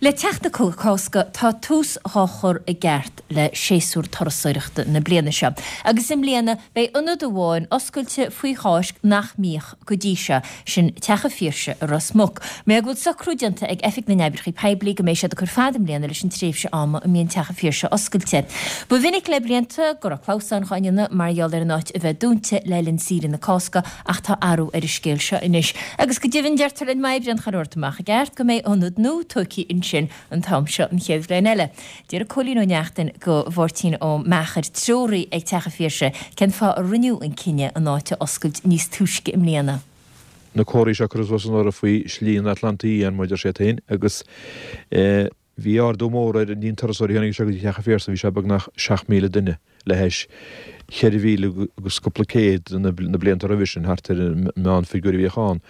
Le teacht na Cásca tá tús dhá chur i gceart le séasúr turasóireachta na bliana seo. Agus i mbliana beidh ionad amháin oscailte faoi Cháisc nach mbíodh go dtí seo, sin Teach an Phiarsaigh i Ros Muc. Mar go bhfuil socrú déanta ag Oifig na nOibreacha Poiblí go mbeidh siad ag cur fada i mbliana leis an tréimhse ama a mbíonn Teach an Phiarsaigh oscailte. Ba mhinic le blianta go raibh clamhsáin dhá ndéanamh mar gheall ar an áit a bheith dúnta le linn saoire na Cásca Ach tá athrú ar an scéal seo anois. Agus go deimhin, deirtear linn má oibríonn chuile shórt amach i gceart, go mbeidh ionad nua tógtha ansin an t-am seo an chéad bhliain eile. Deir Cóilín Ó Neachtain go Mháirtín Ó Meachair, treoraí ag Teach an Phiarsaigh, cén fáth a rinneadh an cinneadh an áit a oscailt níos túisce i mbliana. na comharthaí seo curtha suas anuraidh faoi Shlí an Atlantaigh Fhiáin, mar a deir siad féin, agus bhí ardú mór ar an líon turasóirí a tháinig anseo go dtí Teach an Phiarsaigh, bhí sé beagnach 7,000 duine le hais 4,000 agus cúpla céad na blianta roimhe sin, thart ar an meánfhigiúr a bhíodh ann.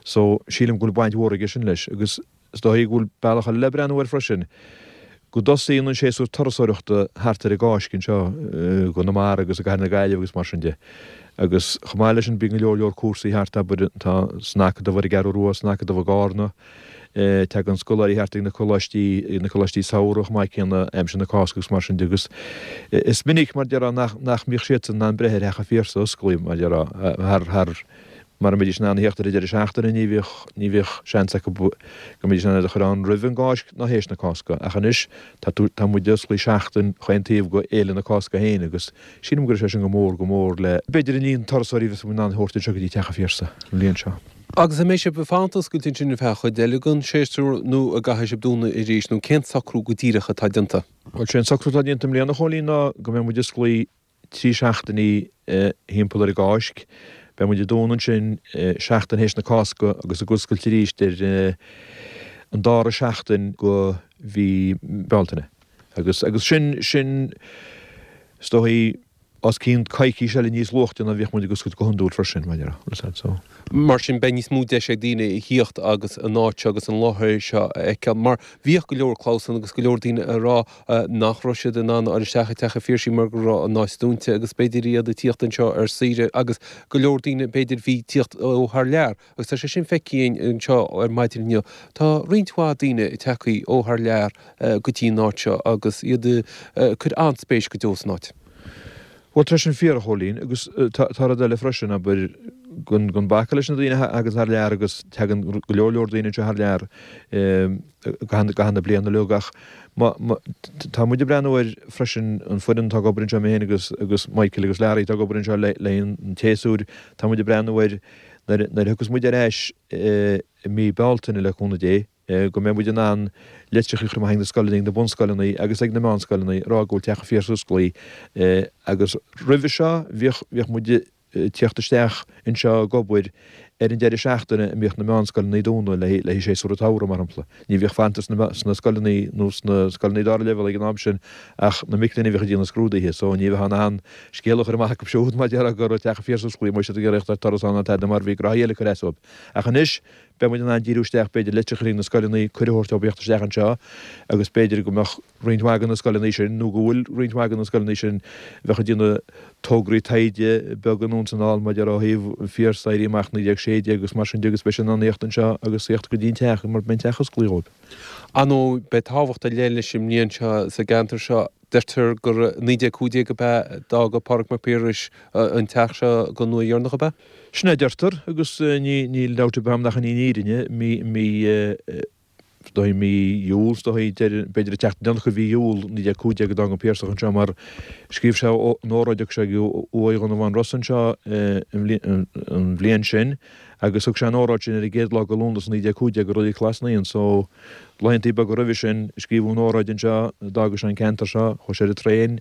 So, sílim go bhfuil baint mhór aige sin leis. Agus is dóigh go bhfuil bealach eile le breathnú air freisin, go dtosaíonn an séasúr turasóireachta thart ar an gCáisc anseo i gConamara agus i gCathair na Gaillimhe agus mar sin de. Agus chomh maith leis sin bíonn go leor leor cúrsaí thart, abair, tá san Acadamh ar an gCeathrú Rua, san Acadamh i gCarna, Tagann scoláirí thart ag na coláistí, ag na coláistí samhraidh chomh maith céanna, aimsir na Cásca agus mar sin de agus is minic, mar déarfá, nach, nach mbíodh siadsan in ann breith ar Theach an Phiarsaigh osclaithe, mar déarfá, thar, thar, mara mbeidís in ann a theacht ar an deireadh seachtaine ní bhíodh, ní bhíodh seans acu go mbeidís in ann iad a chur ann roimh an gCáisc ná théis na Cásca. Ach anois tá tú, tá muid osclaithe seachtain chaon taobh go Fhéile na Cásca féin agus sílim go raibh sé sin go mór, go mór le, b'fhéidir an líon turasóirí a bheas muid in ann a thabhairt anseo go dtí Teach an Phiarsaigh an bhliain seo. Agus an mbeidh sibh ag fanacht oscailte ansin ar feadh chuid eile den séasúr nó an gcaithfidh sibh dúnadh arís nó cén socrú go díreach atá déanta? Bhuel, sé an socrú atá déanta i mbliana, a Chóilín, ná go mbeidh muid osclaithe 3 seachtainí thimpeall ar an gCáisc. Beidh muid ag dúnadh ansin seachtain théis na Cásca agus ag oscailt arís ar an dara seachtain go mhí Bealtaine. Agus, agus sin, sin, is dóigh, os cionn coicís eile níos luaithe ná bhíodh muid ag oscailt go hiondúil freisin, mar a déarfá, so. Mar sin, beidh níos mó deis ag daoine a thíocht agus an áit seo agus an láthair seo a fheiceáil, mar bhíodh go leor clamhsán agus go leor daoine ag rá nach raibh siad in ann a fháil isteach i dTeach an Phiarsaigh mar go raibh an áit dúnta agus b'fhéidir iad ag tíocht anseo ar saoire agus go leor daoine b'fhéidir bhí tíocht ó thar lear. Agus tá sé sin feicthe againn anseo ar maidin inniu. Tá roinnt mhaith daoine tagtha ó thar lear go dtí an áit seo agus iad ag cur an-spéis go deo san áit. Bhuel, tá sin fíor, a Chóilín, agus tá rud eile freisin, abair, gan bacadh leis na daoine a thagann thar lear agus tagann go leor leor daoine anseo thar lear i gcaitheamh na bliana uilig ach tá muid ag breathnú air freisin, an foireann atá ag obair anseo, mé féin agus agus Michael agus Larry atá ag obair anseo le le an tséasúir, tá muid ag breathnú air nuair a thiocfas muid ar ais i mí Bealtaine le cúnamh Dé, go mbeidh muid in ann litreacha a chur amach ag na scoileanna, ag na bunscoileanna agus ag na meánscoileanna ag rá go bhfuil Teach an Phiarsaigh osclaithe. Agus roimhe seo bhíodh, bhíodh muid ag tíocht isteach anseo ag obair ar an deireadh seachtaine a mbíodh na meánscoileanna dúnta le haghaidh séasúr an tsamhraidh, mar shampla. Ní bhíodh fanta sna scoileanna nó sna scoileanna dara leibhéal ag an am sin ach na mic léinn a bhíodh ag déanamh scrúduithe so ní bheifeá in ann scéal a chur amach acu siúd mar déarfá go raibh Teach an Phiarsaigh osclaithe má bhí siad ag iarraidh ar turas ann ná tada mar bhí gnoithí eile ag cur as dóibh. Ach anois beidh muid in ann díriú isteach b'fhéidir litreacha chuig na scoileanna, cuireadh a thabhairt dóibh theacht isteach anseo agus b'fhéidir go mbeadh roinnt mhaith de na scoileanna sin nó go bhfuil roinnt mhaith de na scoileanna sin a bheadh ag déanamh tograí taighde beaga anonn is anall maidir ó thaobh an Phiarsaigh, Éirí Amach 1916 agus mar sin de agus beidh siad in ann theacht anseo agus theacht go dtí an teach mar beidh an teach osclaithe dhóibh. Ar ndóigh, beidh tábhacht ar leith leis an mbliain seo sa gceantar seo. Deirtear gur i 1915 ab ea a d'fhága Pádraig Mac Piarais an teach seo don uair dheireanach, ab ea? Sin é a deirtear agus níl dabht ar bith agam nach in í an fhírinne. Mí, mí, is dóigh mí Iúil, is dóigh, b'fhéidir an tseachtain dheireanach de mhí Iúil 1915 a d'fhág an Piarsach anseo mar scríobh sé an óráid, thug sé uaigh Dhonnabháin Rosa anseo an bhliain sin agus thug sé an óráid sin ar an gcéad lá de Lúnasa 1915 i Reilig Ghlas Naíon so laethantaí beaga roimhe sin scríobhadh an óráid anseo, d'fhága sé an ceantar seo, chuaigh sé ar an traein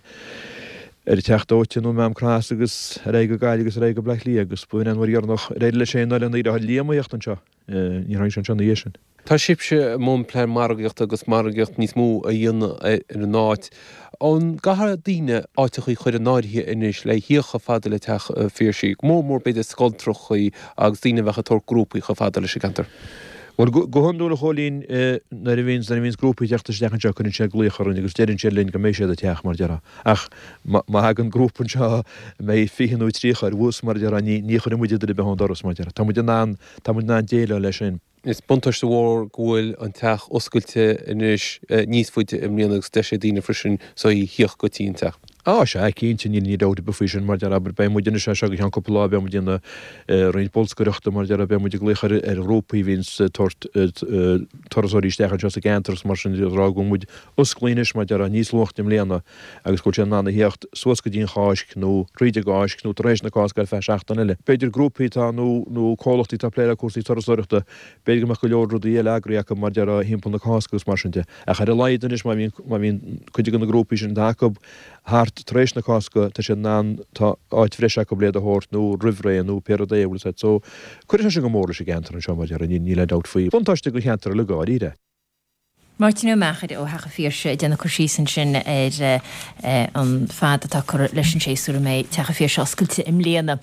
ar an Teach Dóite nó Maam Cross agus ar aghaidh go Gaillimh agus ar aghaidh go Bleá Cliath agus ba in an uair dheireanach ar éirigh leis féin ná lena dheartháir Liam a theacht anseo. Níor tháinig sé anseo ina dhiaidh sin. Tá sibhse i mbun plean margaíochta agus margaíocht níos mó a dhéanamh ar an áit. An gcaithfidh daoine áiteachaí a chur in áirithe anois le thíocht chomh fada le Teach an Phiarsaigh, go mór mór b'fhéidir scoltrachaí agus daoine a bheadh ag tabhairt grúpaí chomh fada leis an gceantar? Bhuel, go hiondúil, a Chóilín, nuair a bhíonns, nuair a bhíonns grúpaí ag teacht isteach anseo cuireann siad glaoch orainn agus deireann siad linn go mbeidh siad ag teacht, mar a déarfá. Ach má thagann grúpa anseo a mbeidh 20 nó 30 ar bhus, mar a déarfá, ní, ní chuirfidh muid duine ar bith ón doras, mar a déarfá. Tá muid in ann, tá muid in ann déileáil leis sin. Is buntáiste mhór go bhfuil an teach oscailte anois níos faide i mbliana agus deis ag daoine freisin so a thíocht go dtí an teach. Á, sea, cinnte, níl aon dabht ar bith faoi sin, mar a déarfá, abair, beidh muid anois as seo go ceann cúpla lá, beidh muid ag déanamh roinnt bolscaireachta, mar a déarfá, beidh muid ag glaoch ar ar ghrúpaí a bhíonns ag tabhairt turasóirí isteach anseo sa gceantar agus mar sin de, ag rá go bhfuil muid osclaithe anois, mar a déarfá, níos luaichte i mbliana agus go bhfuil siad in ann a thíocht suas go dtí an Cháisc nó thríd an gCáisc nó tar éis na Cásca ar feadh seachtain eile. B'fhéidir grúpaí atá nó nó comhlachtaí atá ag plé le cúrsaí turasóireachta, B'fhéidir go mbeadh go leor rudaí eile eagraithe acu mar a déarfá thimpeall na Cásca agus mar sin de. Ach ar a laghad anois má bhíonn, má bhíonn cuid de na grúpaí sin atá acu thart tar éis na Cásca, tá siad in ann, tá áit bhreise acu le iad a thabhairt nó roimh ré nó pé rud é, bhfuil 'fhios a'd. So, cuirfidh sé sin go mór leis an gceantar anseo mar a déarfá, níl aon dabht faoi. Buntáiste don cheantar uilig dháiríre. Máirtín Ó Meachair ó Theach an Phiarsaigh ag déanamh cur síos ansin ar an fad atá curtha leis an séasúr a mbeidh Teach an Phiarsaigh oscailte i mbliana.